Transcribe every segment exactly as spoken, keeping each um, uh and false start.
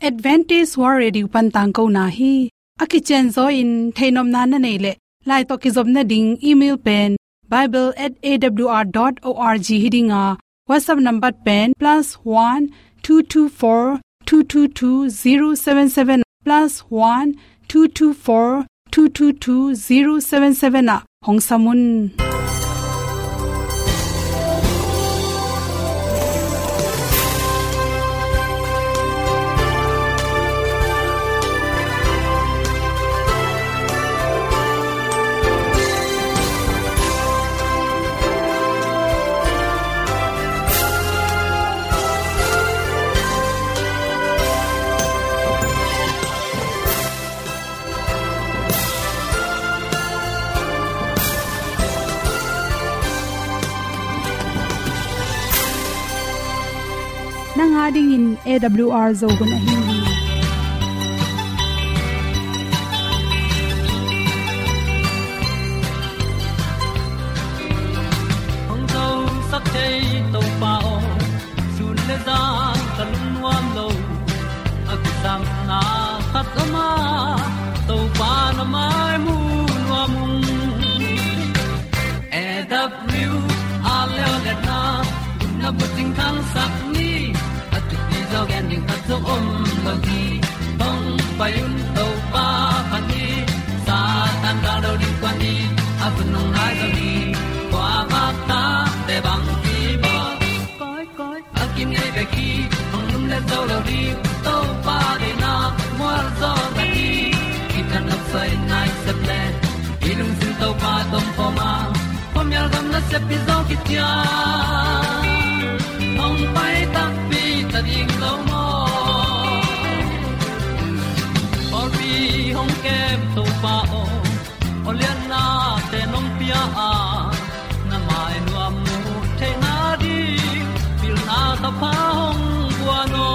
Adventist World Radio pan tangkona hi. A kicianzaw in theihnopna na neih leh, lai tawh kizopna ding email pen bible at A W R dot org hi ding a, WhatsApp number pen plus one two two four two two two zero seven seven, plus one two two four two two two zero seven seven ah hong sam un. Nang a dingin A W R Zo hun ahi hi. Hong zosak thei Topa aw, sun le zan ka lungnuam lo. A kisangna khat om a, Topa na mai mu nuam ung. A W R leo le na, na bucing thangsak ni, a thupi zaw gen ding khat zong om lo hi. Hong pai un Topa phat ni, Satan gal do ding kua ni, a hun hong nai zo hi. Kua bak ta te bang ki bawl. Koi, koi, a kinei bek hi, hong lum le zo lo ding, Topa deihna mual zaw na hi. Kitang nok soi nai sep le, i lungsim Topa tawh om khawm a, khuamial gam nasep hi zaw kician. Hong pai takpi ta ding lo maw? Pawlpi hong kem Topa aw, aw liannate nong pia a, na mai nuam mu theihna ding, pilna thapha hong guan aw.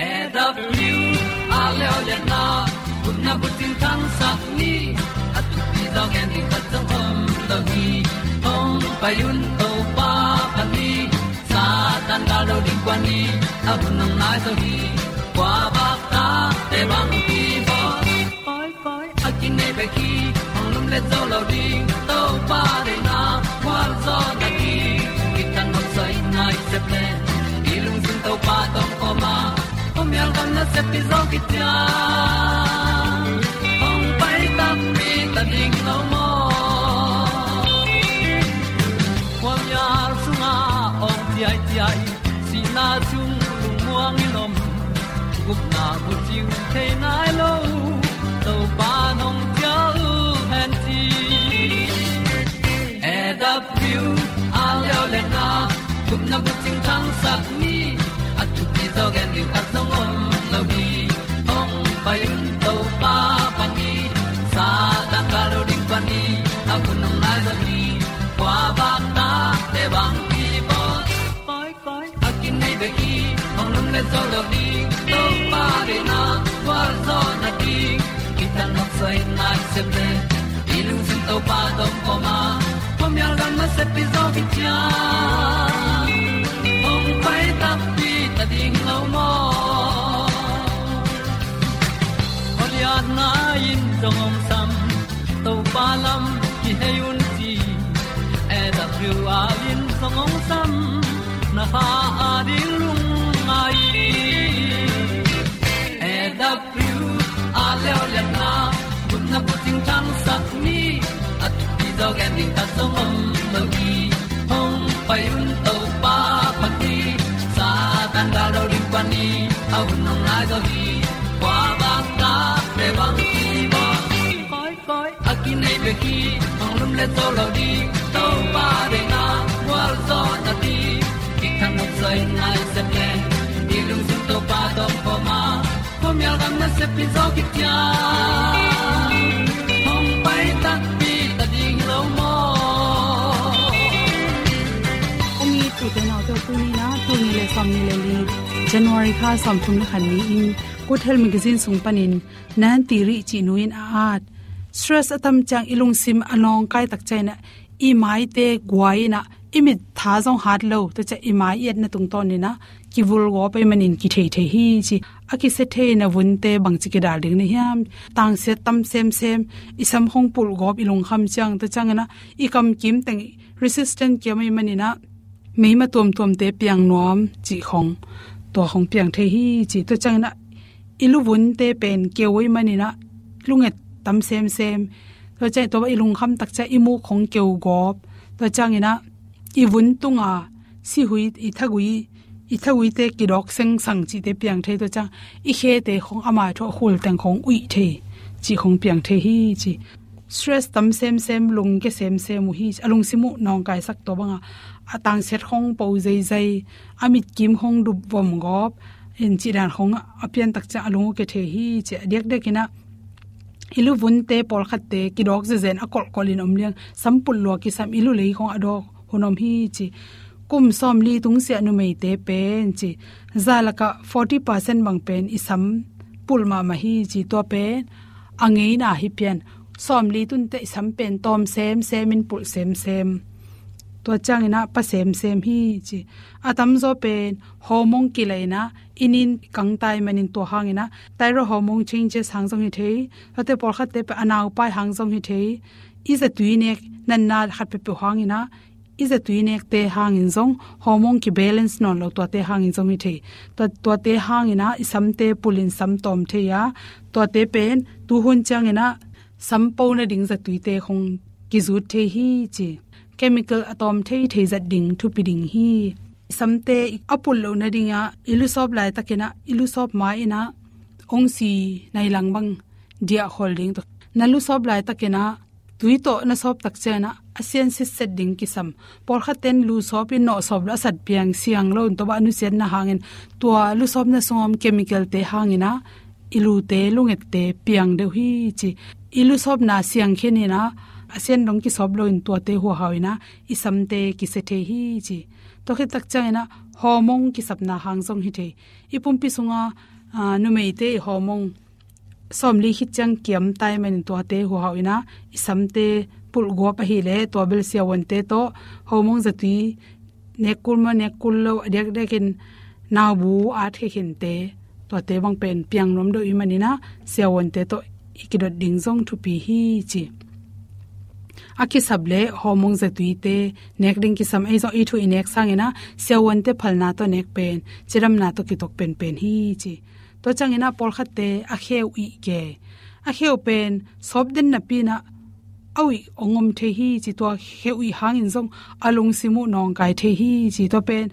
A W R leo le na, gupna bucing thangsak ni, a thupi zaw gen ding khat zong om lo hi. Hong pai un Topa phat ni, Satan gal do ding kua ni, a hun hong nai zo hi. Kua bak ta te bang ki bawl. Koi, koi, a kinei bek hi, hong lum le zo lo ding, Topa deihna mual zaw na hi. Kitang nok soi nai sep le, i lungsim Topa tawh om khawm a, khuamial gam nasep hi zaw kician. Hong pai takpi ta ding lo maw? Khuamial sungah awng ciaiciai, sihna sung lungmuang in om, gupna bucing thei nai lo, Topa nong cial hen ci. A W R leo le na, gupna bucing thangsak ni, a thupi zaw gen ding khat zong om lo hi. Hong pai un Topa phat ni, Satan gal do ding kua ni, a hun hong nai zo hi. Kua bak ta te bang ki bawl. Koi, koi, a kinei bek hi, hong lum le zo lo ding, Topa deihna mual zaw na hi. Kitang nok soi nai sep le, i lungsim Topa tawh om khawm a, khuamial gam nasep hi zaw kician. Hong pai takpi ta ding lo maw? Aw lianna in zong hong sam, Topa lam kihei un ci. A W R in zong hong sam, na kha a ding lungngai. A W R leo le na, gupna bucing thangsak ni, a thupi zaw gen ding khat zong om lo hi. Hong pai un Topa phat ni, Satan gal do ding kua ni, a hun hong nai zo hi. Kua bak ta te bang ki bawl. Koi, koi, a kinei bek hi, hong lum le zo lo ding, Topa deihna mual zaw na hi. Kitang nok soi nai sep le, i lungsim Topa tawh om khawm a, khuamial gam nasep hi zaw kician. Hong pai takpi ta ding lo maw? Ka mi tuute naute, tuni na, tul nih le sawmnih le li, January kha sawmthum le khat ni-in, Good Health Magazine sung panin Nanti Rih cih nu in a at, stress a tam ciang i lungsim a nawngkai tak ciangin ah, i maite guai in ah, i mit tha zong hat lo, tua ciang i mai i etna tungtawn in ah, kivulgawp ahih manin kithei thei hi ci. A kisia thei na vunte bangci kidal ding na hiam? Tangsiat tam semsem, i sam khong pulhgawp i lungkham ciang, tua ciangin ah i kamkim teng resistant kiam ahih manin ah meima tuamtuamte piang nuam cih khong, tua khong piang thei hi ci. Tua ciangin ah i luvunte pen keu ahih manin ah lunget tam semsem. Tua ciang tua i lungkham tak ciang i muk khong keu gawp. Tua ciangin ah i vun tunga sihui, i thagui, i thaguite kidawk sengsang cihte piang thei. Tua ciang i khete khong ama thu a khul teng khong uih thei cih khong piang thei hi ci. Stress tam semsem, lungkia semsem uh hi ci. A lungsim uh nawngkaisak, tua banga a tangsiat khong po zeizai, a mitkim khong dup vom gawp, in cih dan khong a pian tak ciang a lung uh kia thei hi ci. A diakdiakin ah i luvunte pawlkhatte kidawk zezen a kolhkolh in om liang, sam pulh lua kisam, i lulei khong a dawk hun om hi ci. Kum sawmli tungsiah numeite pen ci, za lakah forty percent bang pen i sam pulh mahmah hi ci. Tua pen a ngeina hi pian. Sawmli tunte i sam pen tawm semsem in, pulh semsem. Tua ciangin ah pa semsem hi ci. A tamzaw pen hormone kilaina, i nin kangta ahih manin tua hangin ah thyroid hormone changes hang zong hi thei. Tuate pawlkhatte pen a naupai hang zong hi thei. I zatui nek natna khat peuhpeuh hangin ah, i zatui nekte hangin zong, hormone kibalance nawn lo tuate hangin zong hi thei. Tua, tuate hangin ah i samte pulhin sam tawm thei a, tuate pen tuhun ciangin ah sam po nading zatuite khong kizut thei hi ci. Chemical a tawm theithei zat ding thupi ding hi. I samte a pulh loh nadingah i lusawp laitakin ah, i lusawp ma-in ah ongsi nai lang bang diahkhol ding. Tua na lusawp laitakin ah tui tawh na sawp tak ciangin ah a sian sitset ding kisam. Pawlkhatte in lusawp in nawhsawp lo, a sat piang siang lo in, tua bang a nusiatna hangin, tua lusawpna sungah om chemicalte hangin ah i lute lungette piang deuh hi ci. I lusawpna siang khin in ah a sian dong kisawp lo in, tuate huhau in ah i samte kisia thei hi ci. Tua khit tak ciangin ah hormone kisapna hang zong hi thei. I pumpi sungah, aa, numeite i hormone sawmli khit ciang kiam ta ahih manin tuate huhau in ah i samte pulhgawp ahih leh, tua bel siavuante tawh hormone zatui nek kul maw, nek kul lo, a diakdiakin naubu at khia khinte, tuate bang pen piang nuam deuh ahih manin ah siavuante tawh i kidot ding zong thupi hi ci. A kisap leh hormone zatuite nek ding kisam. Ei zong i thu i nek sangin ah siavuante phalna tawh nek pen cidamna tawh kitok penpen hi ci. Tua ciangin ah pawlkhatte a kheu ih ke. A kheu pen sawp den napi-in ah a uih hong om thei hi ci. Tua kheu ih hangin zong a lungsim uh nawngkai thei hi ci. Tua pen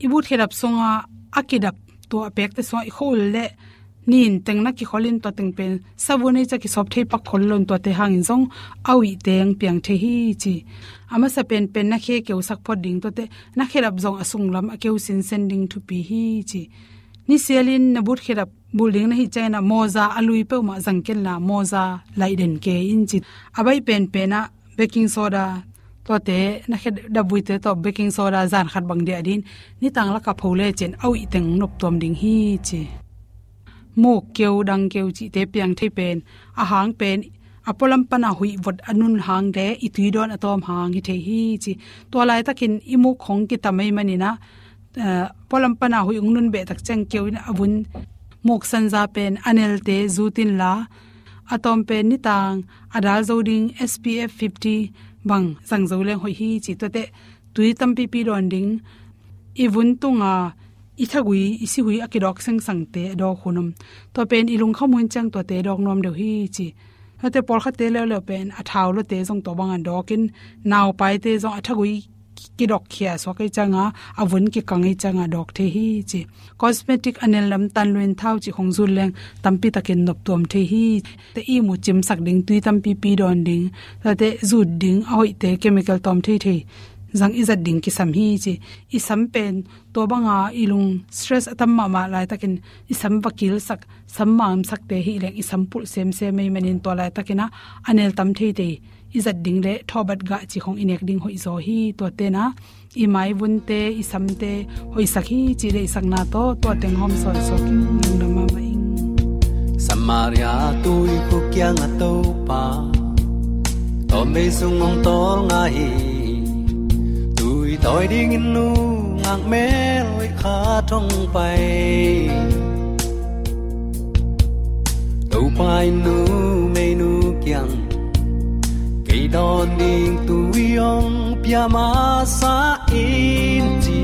i but khedap sungah a kidap, tua a pekte sungah i khua-ul leh nin teng na kikhol in, tua teng pen savun ei ciang kisawp thei pak khol lo in, tuate hangin zong a uih teng piang thei hi ci. A masa penpen na khe keusak phot ding, tuate na khedap zong a sunglam a keu sinsen ding thupi hi ci. Nisialin na but khedap bulh ding na hih ciangin ah mawza a lui peuhmah zang kenla, mawza laih den kei in ci. A baih penpen ah baking soda, tuate na khedap buite tawh baking soda zan khat bang diah ding, nitang lakah pho lecin a uih teng noptuam ding hi ci. Muk keu, dang keu cihte piang thei pen, a hang pen a pualam pana huih vot a nun hang leh i tui dawn a tawm hang hi thei hi ci. Tua laitakin i muk khong kitam ahih manin ah, eh, pualam pana huih hong nun beh tak ciang keu in a vun, muk sanza pen a nelte zut inla, a tawm pen nitang a dal zo ding S P F fifty bang zang zo leng hoih hi ci. Tuate tui tampipi dawn ding. I vun tunga i thagui, i sihui a kidawk sengsangte a dawk hun om. Tua pen i lungkham hun ciang tuate dawk nuam deuh hi ci. Tuate pawlkhatte leuleu pen a thau lawte zong tua bangin dawkin, naupaite zong a thagui kidok khia suak ei cianga, a vun kikang ei cianga dawk thei hi ci. Cosmetic, a nel lam tan luin thau cih khong zut leng tampi takin noptuam thei hi. Te ihmu cimsak ding, tui tampipi dawn ding, tate zut ding, a hoihte chemical tawm theithei zang i zat ding kisam hi ci. I sam pen tua banga i lung stress a tam mahmah laitakin i sam va kilsak, sam mamsakte hi leng i sam pulh semsem ei manin tua laitakin ah a nel tam theithei i zat ding le thawhbat gah cih khong i nek ding hoihzaw hi. Tuate'n ah i maivunte, i samte hoihsak hi cih deihsakna tawh tua teng hawm sawnsawn ing. Lungdam mahmah ing. Samaria tuikhuk kiangah Topa tawmvei sung hong tawlnga hi. Tui tawi dingin nung Ang mel khat hong pai, Topa in numeinu kiang, kei dawn ding tui hong pia masa in ci.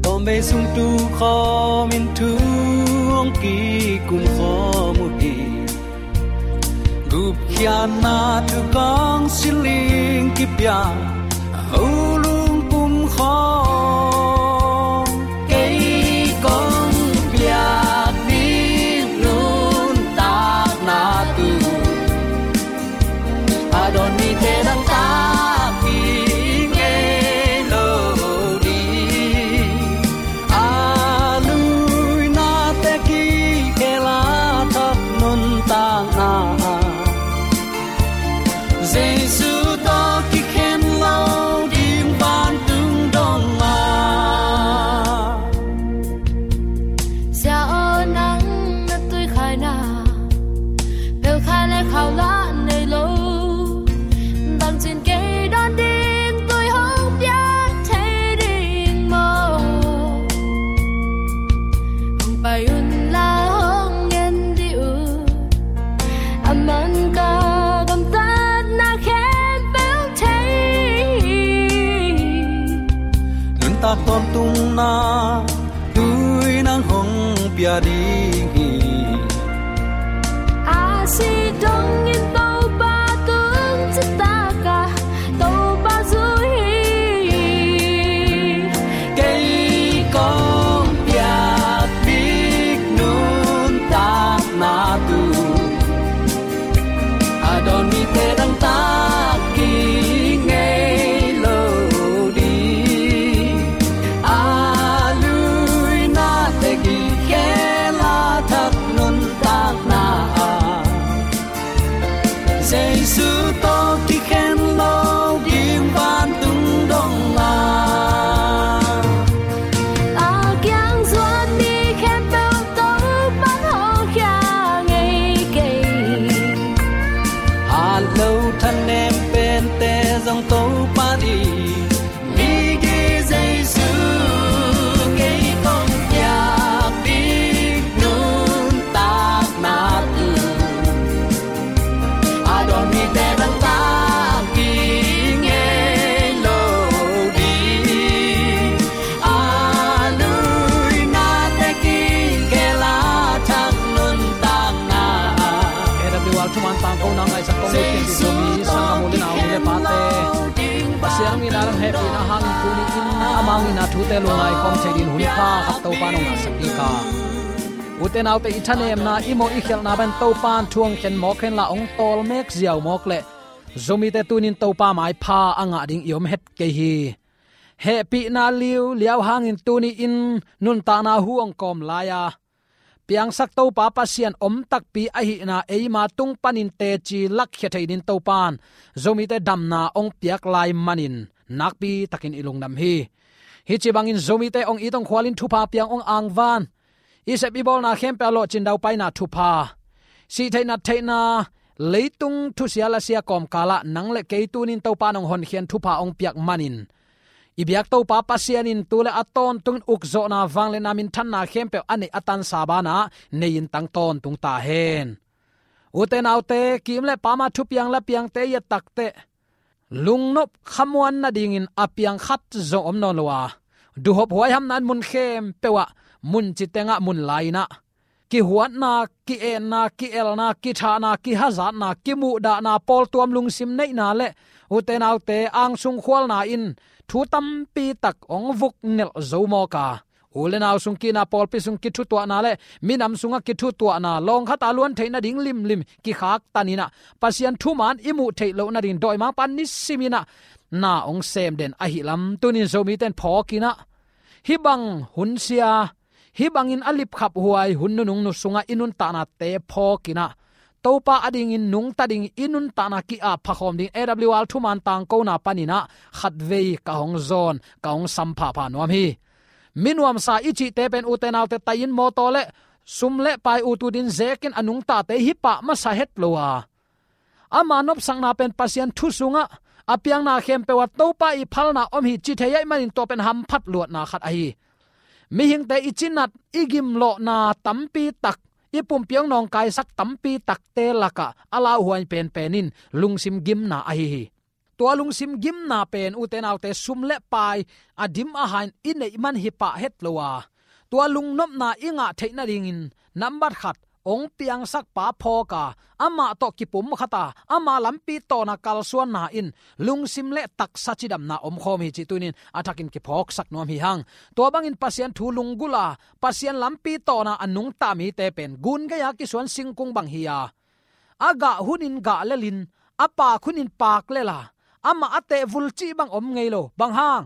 Tawmvei sung tu khawm in thu hong kikum khawm uh hi. Gupkhiatna thukawng siling kipia, a ho lungpum khawng, kei kong piak ding nuntakna tu, a dawn mite dangtak ding ngei lo ding. A luina te kikhel a thak nuntakna, Jesu tawh kikhen lo ding vantung dong a. Sia aw, nang na tuikhaina, pelkhai le khau lah nei lo. Bangcin kei dawn ding tui hong piak thei ding maw? Hong pai un la, hong ngen dih un. A man ka gamtatna khempeuh thei. Nuntak tawntungna tui nang hong pia ding hi. A si dongin Topa tung citak a, Topa zui hi. Kei kong piak ding nuntakna tu, a dawn mite dangtak ding ngei lo ding. A luina te kikhel a thak nuntakna ah, Jesu tawh kikhen lo ding vantung dong a. A kiang zuan mi khempeuh Topa'n hawlkhia ngei kei. Hat lo thanem pente zong Topa in migi Jesu, kei kong piak ding nuntakna tu, a dawn mite dangtak ding ngei lo ding. A luina te kikhel a thak nuntakna. A W R thuman tangkona ngaihsak kong ut kei, Zomi sanggamnu le nau nu le pate, Pasian hong itna le hehpihna hangin tuni-in ama hong itna thute lungngai khawm thei dingin hun pha khat Topa'n hong ngahsak kik a. Ute naute, i thanemna, i mawh i khialhna pen Topa'n thu hong khen mawk henla hong tawlmek ziau mawk leh Zomite tuni-in Topa maipha a ngah ding i om het kei hi. Hehpihna liuliau hangin tuni-in nuntakna hu hong kawm lai-a, piangsak Topa Pasian om takpi ahihna eima tung panin teci lakkhia thei dingin Topa'n Zomite damna hong piak lai manin nakpi takin i lungdam hi. Hih ci bangin Zomite hong it hong khualin thupha piang hong angvan, i sep i bawlna khempeuh ah lawhcin daupaina thupha, sihtheihna theihna, leitung thusia lasia kawmkal ah nang le kei tuni-in Topa'n hong honkhian thupha hong piak manin, i biak Topa Pasian in tu le a tawntungin ukzawhna, vangliatna, minthanna khempeuh a neih a tansa banah nei-in tang tawntung ta hen. Ute naute, kim le pam a thupiang la piangte i et takteh, lungnop khamuan nadingin a piang khat zong om nawn lo a, duhhop huaihamna in mun khempeuh ah, mun ci tengah, mun lai-in ah, kihuatna, ki-etna, ki-elna, kithahna, kihazatna, kimuhdahna, pawltuam lungsim neihna le ute naute angsung khualna in thu tampi tak hong vuknelh zo mawk a, u le nau sung ki-itna, pawlpi sung kithutuahna le minam sungah kithutuahna, lawng khat a luan theih nading limlim kikhaktan in ah, Pasian thuman i muh theih loh nading dawimangpa nisimin ah na hong sem den ahih lam tuni-in Zomite in phawkin ah, hih bang hun sia, hih bangin a lipkhaphuai hun nunung nu sungah i nuntaknate phawkin ah, Topa adingin nungta dingin i nuntakna ki-ap phakhawm dingin A W R thuman tangkona panin ah khatvei ka hong zawn, ka hong sam phapha nuam hi. Minuamsa i cihte pen, ute naute, tai-in mawtaw le sum le pai ut utin zekin a nungtate hi pah masa het lo a, ama nopsakna pen Pasian thu sungah A piangna khempeuh ah Topa ii phalna om hi ci thei ahih manin tua pen hamphat luatna khat ahi hi. Mihingte i cinat, i gimlawhna tampi tak, i pumpi hong nawngkaisak tampi takte lakah a lauhuai penpen in lungsim gimna ahi hi. Tua lungsim gimna pen, ute naute, sum le pai a dim a hain i neih man hi pah het lo a, tua lungnopna i ngah theih nadingin nambat khat, hong piangsakpa phawk a, amah tawh kipumkhat a, ama lampi tawna kalsuanna in lungsim le taksa cidamna omkhawm hi cih tuni-in a thakin kiphawksak nuam hi hang. Tua bangin Pasian thu lunggulh a, Pasian lampi tawna a nungta mite pen gun gei-a kisuan singkung bang hi a, a gah hunin gah lelin, a paak hunin paak lel a, amah a tehvul cih bang om ngei lo. Bang hang?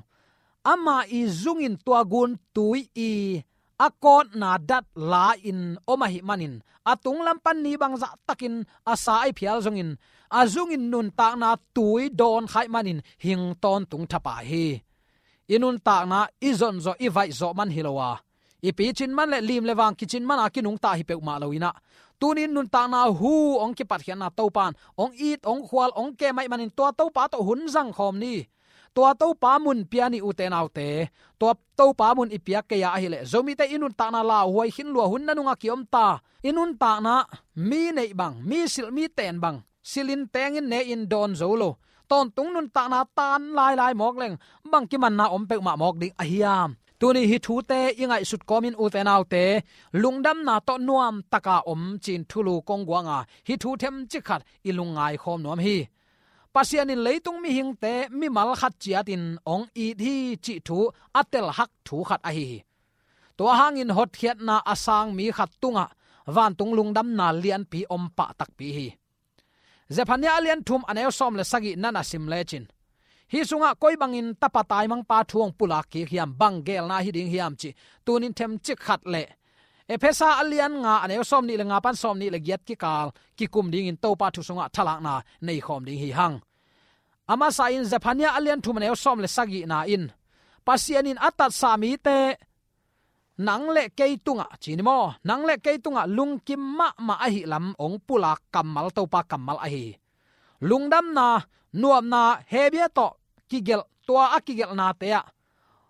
Ama ii zungin tua gun tui ii a kawtna dat la-in om ahih manin, a tunglam pan ni bangzah takin a sa a ih phial zongin, a zungin nuntakna tui dawn kha ahih manin hing tawntung thapai hi. I nuntakna i zonzawh, i vaihzawh man hi lo a, i picin man le lim le vang kicin man a kinungta hi peuhmah lo in ah, tuni-in nuntakna hu hong kipatkhiatna Topa in hong it, hong khual, hong kem ahih manin tua Topa tawh hun zangkhawm ni. Tua Topa mun pia ni, ute naute. Tua Topa mun i piak kei a ahih leh, Zomite i nuntakna lauhuai khin lua, hun nanungah kiom ta. I nuntakna mi neih bang, mi silh, mi ten bang, silhin tengin ne-in dawn zo lo. Tawntung nuntakna tan lailai mawk leng, bang kimanna om peuhmah mawk ding a hiam? Tuni hih thute i ngaihsut kawmin, ute naute, lungdamna tawh nuamtaka om ci-in thulu kong guang a, hih thu themcik khat i lungngaikhawm nuam hi. Pasian in leitung mihingte mimal khat ciatin hong it hi cih thu a telhak thu khat ahi hi. Tua hangin hotkhiatna a sang mi khat tungah vantung lungdamna lianpi om pah takpi hi. Zephaniah a lian thum, a neu sawm le sagih na na sim lecin, hih sungah koi bangin tapa taimangpa thu hong pulak kik hiam, bang geelna hi ding hiam cih tuni-in themcik khat le Efesa a lian nga, a neu sawmnih le nga pan sawmnih le giat kikal kikum dingin Topa thu sungah thalakna neikhawm ding hi hang. A masa-in Zephaniah a lian thum, a neu sawm le sagihna in, Pasian in a tatsa mite, nang le kei tungah, ci ni maw, nang le kei tungah lungkim mahmah ahih lam hong pulak kammal, Topa kammal ahi hi. Lungdamna, nuamna, Hebia tawh kigelh, tua a kigelhnate ah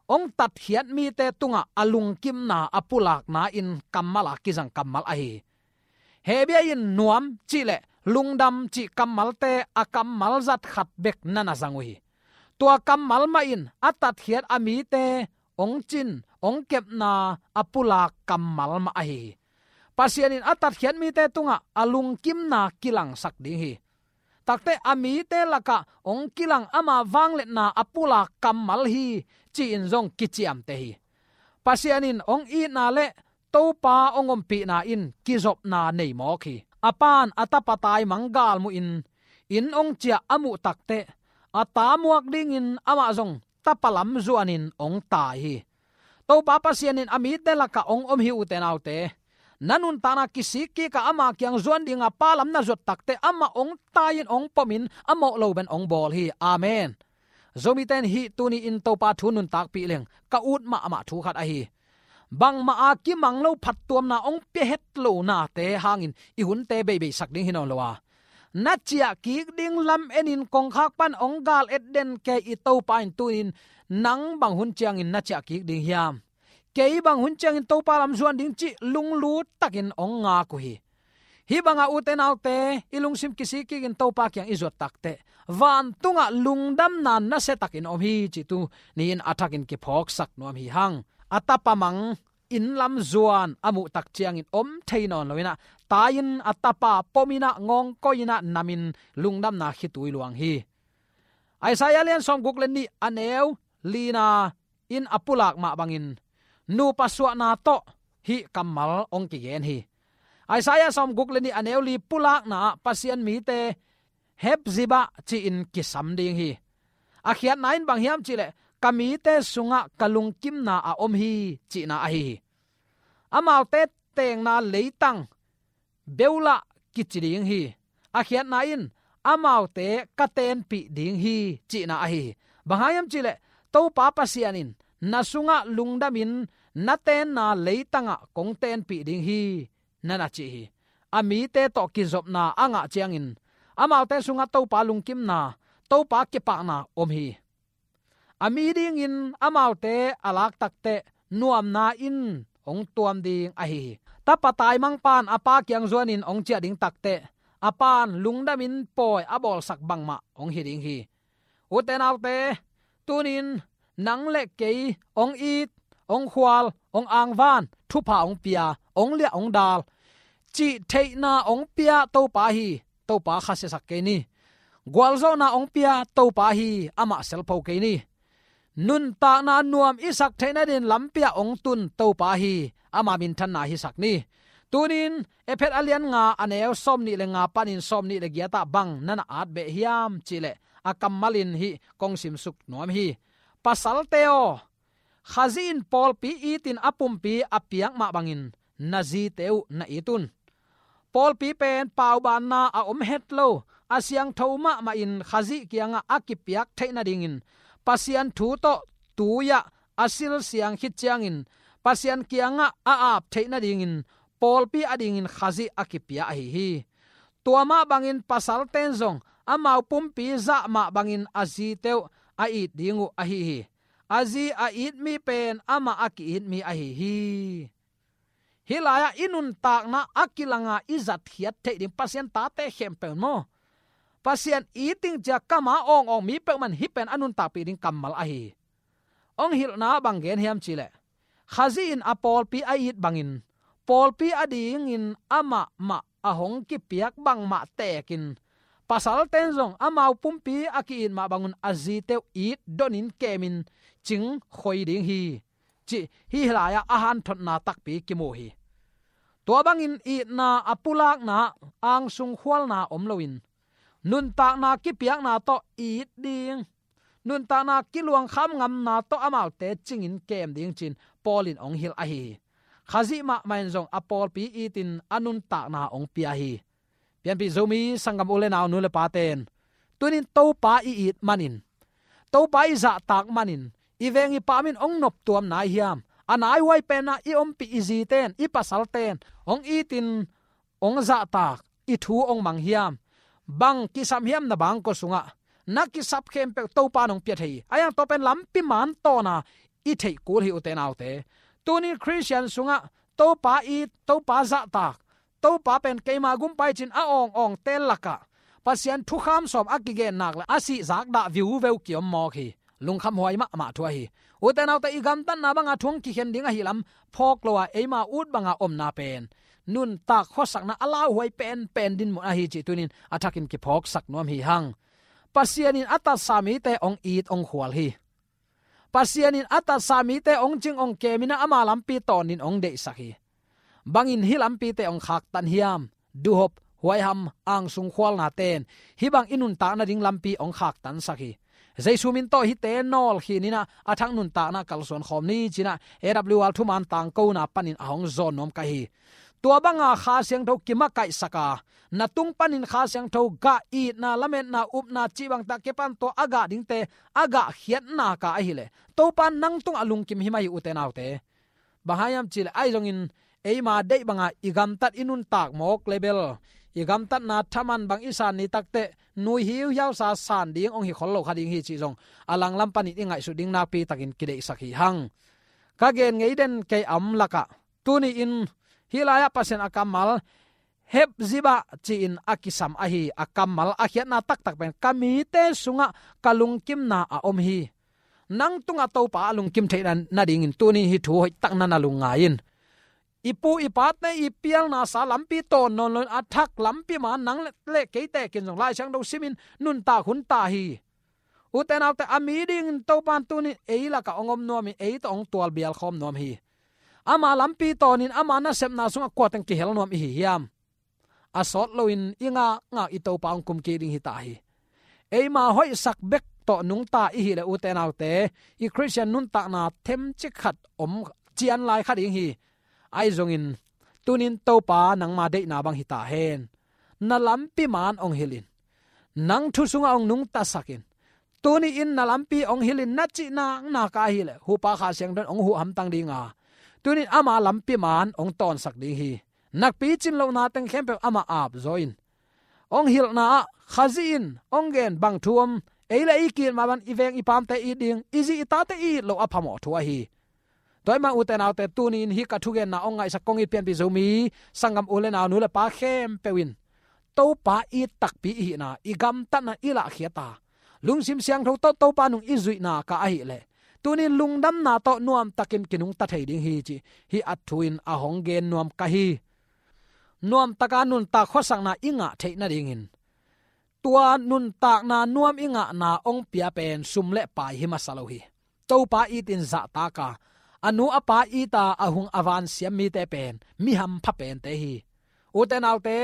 hong tatkhiat mite tungah a lungkimna a pulakna in kammal a kizang kammal ahi hi. Hebia in nuam cih le lungdam cih kammalte a kammal zat khat bek na na zang uh hi. Tua kammal mah in a tatkhiat a mite hong cin, hong kepna a pulak kammal mah ahi hi. Pasian in a tatkhiat mite tungah a lungkimna kilangsak ding hi. Takte a mite lakah hong kilang ama vangliatna a pulak kammal hi, ci-in zong kiciamteh hi. Pasian in hong itna le Topa hong ompihna in kizopna nei mawk hi. A pa'n a tapa taimang galmuhin inn hong ciah a muh takteh, a ta muak dingin amah zong tapa lam zuanin hong tai hi. Topa Pasian in a mite lakah hong om hi, ute naute. Na nuntakna kisik kik a ama kiang zuan dinga pa lam na zuat takteh, amah hong tai-in hong pomin a mawh lo bek hong bawl hi. Amen. Zomite in hih tuni-in Topa thu nuntakpih leng ka ut mahmah thu khat ahi hi. Bangmah a kimang lo phattuamna hong pia het lo nate hangin i hunte beibeisak ding hi nawn lo a, na ciah kik ding lam enin kongkhak pan hong gal et den kei i Topa in tuni-in nang bang hun ciangin na ciah kik ding hiam? Kei bang hun ciangin Topa lam zuan ding cih lunglut takin hong ngak uh hi. Hih bangah, ute naute, i lungsim kisik kikin Topa kiang i zuat takteh, vantungah lungdamna nasia takin om hi cih tuni-in a thakin kiphawksak nuam hi hang. A tapa mang inn lam zuan a muh tak ciangin om thei nawn lo in ah, tai-in a tapa pom in ah, ngawngkoi in ah, namin lungdamna khitui luang hi. Isaiah lian sawmguk le nih, a neu lina in a pulak mah bangin, nupa suahna tawh hih kammal hong kigen hi. Isaiah sawmguk le nih, a neu li pulakna ah Pasian mite Hepzibah ci-in kisam ding hi. A khiatna in bang hiam cih leh, ka mite sungah ka lungkimna a om hi, cihna ahi hi. Amaute tengna leitang beulah kici ding hi. A khiatna in, amaute ka tenpih ding hi, cihna ahi hi. Bang hang hiam cih leh, Topa Pasian in na sungah lungdamin na tenna leitangah kong tenpih ding hi, na na ci hi. A mite tawh kizopna a ngah ciangin, amaute sungah Topa lungkimna, Topa kipahna om hi. A mi dingin amaute a lak takteh nuamna in hong tuam ding ahi hi. Tapa taimangpa'n a pa kiang zuanin hong ciah ding takteh, a pa'n lungdamin pawi a bawlsak bangmah hong hi ding hi. Ute naute, tunin nang le kei hong it, hong khual, hong angvan, thupha hong pia, hong liah hong dal cih theihna hong pia Topa hi. Topa khasiasak kei ni. Gualzawhna hong pia Topa hi. Amah selpho kei ni. Nuntakna nuam i sak theih nadin lampi ah hong tun Topa hi. Ama minthanna hisak ni. Tunin Efesa a lian nga a neu sawmnih le nga panin sawmnih le giat ah bang na na at beh hiam cih leh, a kammal in hih kong simsuk nuam hi. Pasalte aw, Khazih in pawlpi itin a pumpi a piak mah bangin na zite uh na it un. Pawlpi pen paubanna a om het lo, a siangtho mahmah in Khazih kiangah a kipiak theih nadingin, Pasian thu tawh tui-ah a silsiang khit ciangin Pasian kiangah a ap theih nadingin pawlpi adingin Khazih a kipia ahi hi. Tua mah bangin pasalte'n zong amau pumpi zah mah bangin a zite uh a it ding uh ahi hi. A zi a it mi pen amah a ki-it mi ahi hi. Hih lai-ah i nuntakna a kilanga i zatkhiat theih ding Pasian tate khempeuh maw, Pasian iting cia kama awngawng mi peuhmah in hih pen a nuntakpih ding kammal ahi hi. Hong hilhna bang gen hiam cih leh, Khazih in a pawlpi a it bangin pawlpi adingin amah mah a hong kipiak bangmah tekin, pasalte'n zong amau pumpi a ki-it mah bangun a zite uh it donin kemin cing khoi ding hi. Cih hih lai-ah a hanthotna takpi kimu hi. Tua bangin itna a pulakna, angsung khualna om loin, nuntakna kipiakna tawh it ding, nuntakna kiluangkham ngamna tawh amaute cingin kem ding ci-in Paul in hong hilh ahi hi. Khazih mahmah in zong a pawlpi itin a nuntakna hong pia hi. Pianpih Zomi sanggam u le nau, nu le pate'n, tunin Topa i it manin, Topa i zahtak manin, i veng i pam in hong noptuam nai hiam? A naihuai penah i ompih i zite'n, i pasalte'n hong itin, hong zahtak, i thu hong mang hiam? Bang kisam hiam na bangkua sungah? Na kisap khempeuh Topa in hong pia thei hi. A hiang tua pen lampi man tawna i theih kul hi, ute naute. Tunin Khristian sungah Topa it, Topa zahtak, Topa pen keima gumpa hi ci-in a awngawngte lakah Pasian thukham sawm a kigen nak leh a sihzak dah viuveu kiom mawk hi. Lungkhamhuai mahmah thu ahi hi. Ute naute, i gamtatna banga thu hong kikhen ding ahi lam phawk lo-a eima ut banga omna pen nuntak khuasakna a lauhuai penpen dinmun ahi cih tunin a thakin kiphawksak nuam hi hang. Pasian in a tatsa mite hong it hong khual hi. Pasian in a tatsa mite hong cing hong kem in ah ama lampi tawnin hong deihsak hi. Bangin hih lampite hong khaktan hiam? Duhop, huaiham, angsung khualnate'n hih bang i nuntak nading lampi hong khaktansak hi. Jesu min tawh hihte nawlkhin in ah a thak nuntakna kalsuan khawm ni ci-in ah A W R thuman tangkona panin a hong zawn nuam ka hi. Tua banga Kha Siangtho kimakaihsak a, na tung panin Kha Siangtho gah, itna, lametna, upna cih bangte a kipan, tua a gah dingte a gahkhiat nak a ahih leh Topa nang tungah lungkim hi mah hi, ute naute. Bang hang hiam cih leh, ahi zongin eima deih banga i gamtat i nuntak mawk leh bel, i gamtatna thaman bang i san ni takteh nui hiuhiausa san ding hong hi khol lo kha ding hi cih zong a langlam panin i ngaihsut ding nakpi takin kideihsak hi hang. Ka gen ngei den kei a om lakah, tuni-in hih lai-ah Pasian a kammal, Hepzibah ci-in a kisam ahi a kammal a khiatna taktak pen, ka mite sungah ka lungkimna a om hi. Nang tungah Topa a lungkim theih na, nadingin tuni hih thu hoihtak na na lungngai in. I pu i pate i pialnasa lampi tawn nawn loin a thak lampi man nang le, le kei tekin zong Lai Siangtho simin nuntak hun ta hi. Ute naute, a mi dingin Topa in tuni ei lakah hong om nuamin ei tawh hong tualbial khawm nuam hi. Ama lampi tawnin ama nasepna sungah kua teng kihel nuam i hi hiam? A sawt loin i ngakngak i Topa hong kumkik ding hi ta hi. Eima hoihsak bek tawh nungta i hih leh, ute naute, i Khristian nuntakna themcik khat om cian lai kha ding hi. Ahi zongin tunin Topa nangma deihna bang hi ta hen. Na lampi man hong hilh in. Nang thu sungah hong nungtasak in. Tuni-in na lampi hong hilh in na cih naknak a ahih leh, Hupa Kha Siangtho in hong huh hamtang ding a, tunin ama lampi man hong tawnsak ding hi. Nakpi cin lohna teng khempeuh amah ap zaw in. Hong hilhna ah Khazih in hong gen bang thu om, Ei le ei ki-it mah bang i veng i pamte it ding, i zi i tate it loh a phamawh thu ahi. Tua ahih manin ute naute, tuni-in hih ka thugenna hong ngaihsak kong it pianpih Zomi sanggam u le nau, nu le pa khempeuh in Topa it takpi i hihna, i gamtatna i lahkhiat a, lungsim siangtho tawh Topa nung i zuihna ka ahih leh, tuni-in lungdamna tawh nuamtakin kinungta thei ding hi cih hih a thu in a hong gen nuam ka hi. Nuamtaka nuntak khuasakna i ngah theih nadingin, tua nuntakna nuam i ngahna hong pia pen sum le pai hi masa lo hi. Topa itin zahtak a, a nu a pa it a, a hung a van siam mite pen mi hampha pente hi. Ute naute,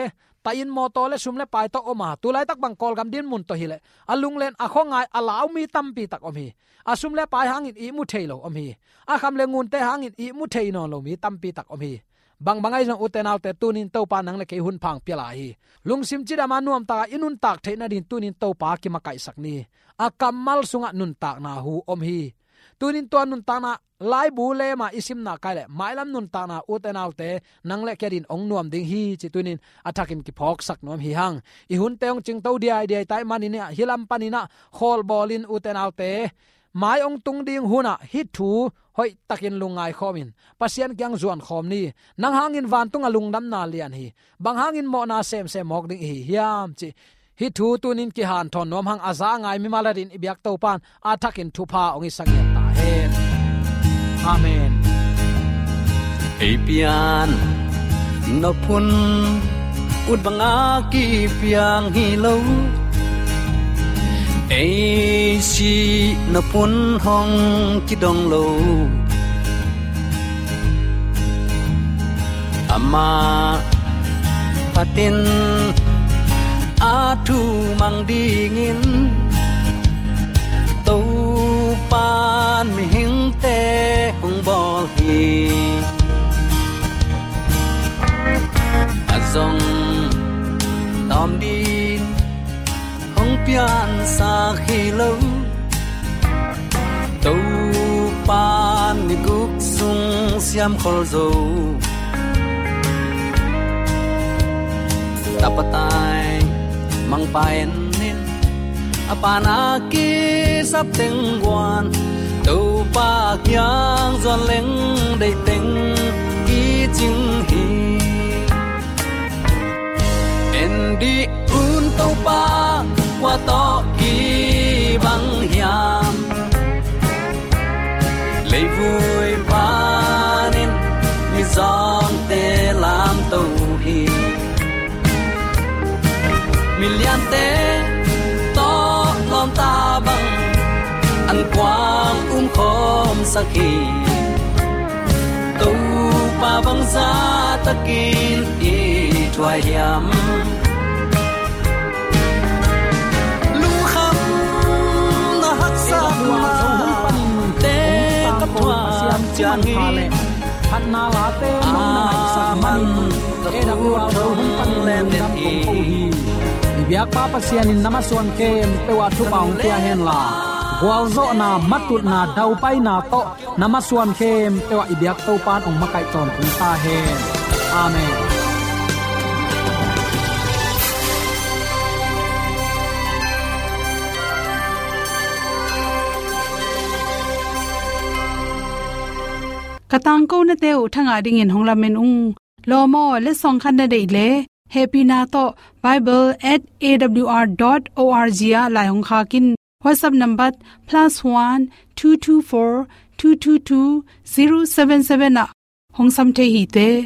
tahin mawtaw le sum le pai tawh om a, tu laitak bang Kawlgam dinmun tawh hi leh, a lunglen a khuangai a lau mi tampi tak om hi. A sum le pai hangin ihmu thei lo om hi. A kham le ngunte hangin ihmu thei nawn lo mi tampi tak om hi. Bangbang ahi zong ute naute, tuni-in Topa nang le kei hunpha hong pia lai hi. Lungsim cidam a nuamtaka i nuntak theih nadingin tuni-in Topa kimakaihsak ni. A kammal sungah nuntakna hu om hi. Tuni-in tua nuntakna laibu lema i simna kai leh, mailam nuntakna ute naute, nang le kei adingin hong nuam ding hi cih tuni-in a thakin kiphawksak nuam hi hang. I hunte hong cingto diaidiai ta ahih manin ah, hih lam panin ah khawlbawlin ute naute, mai hong tung ding hunah hih thu hoihtakin lungngai khawmin Pasian kiang zuan khawm ni. Nang hangin vantungah lungdamna lian hi. Bang hangin mawhna semsem mawk ding i hi hiam cih hih thu tuni-in kihanthawn nuam hang. A za a ngai mimal adingin i biak Topa in a thakin thupha hong hisak ngiat ta hen. Amen. Ei pian nop hun ut banga kipiang hi lo, ei sih nop hun hong kidong lo. Amah phatin a thu mang dingin Topa in mihingte hong bawl hi. A zong tawm ding hong piansak hi lo, Topa in ni guk sung siamkhol zo. Tapa tai mangpa en in, a pa'n a kisap teng guan, Topa kiang zuan leng deih teng kicing hi. En dih un Topa, kua tawh kibang hiam? Leivui panin mizawngte lamto hi. Miliante tawh lawmta bang an kuang umkhawmsak hi. Topa bang zahtakin i thuai hiam? Lungkhamna haksatnate ka thuak ciang hi. Phatna late nong na ngaihsak manin A W R Zo hun panin lungdam kong ko hi. I biakpa Pasian in na masuan khempeuh ah thupha hong pia hen la, gualzawhna, matutna, daupaina tawh na masuan khempeuh ah i biak Topa in hong makaih tawntung ta hen. Amen. Ka tangkonate uh thangah dingin hong lamen ung. Lawm aw, letsong khat na deih leh, hehpihna tawh bible at A W R dot O R G ah lai hong khak in. WhatsApp number plus one two two four two two two zero seven seven ah hong sam thei hi te.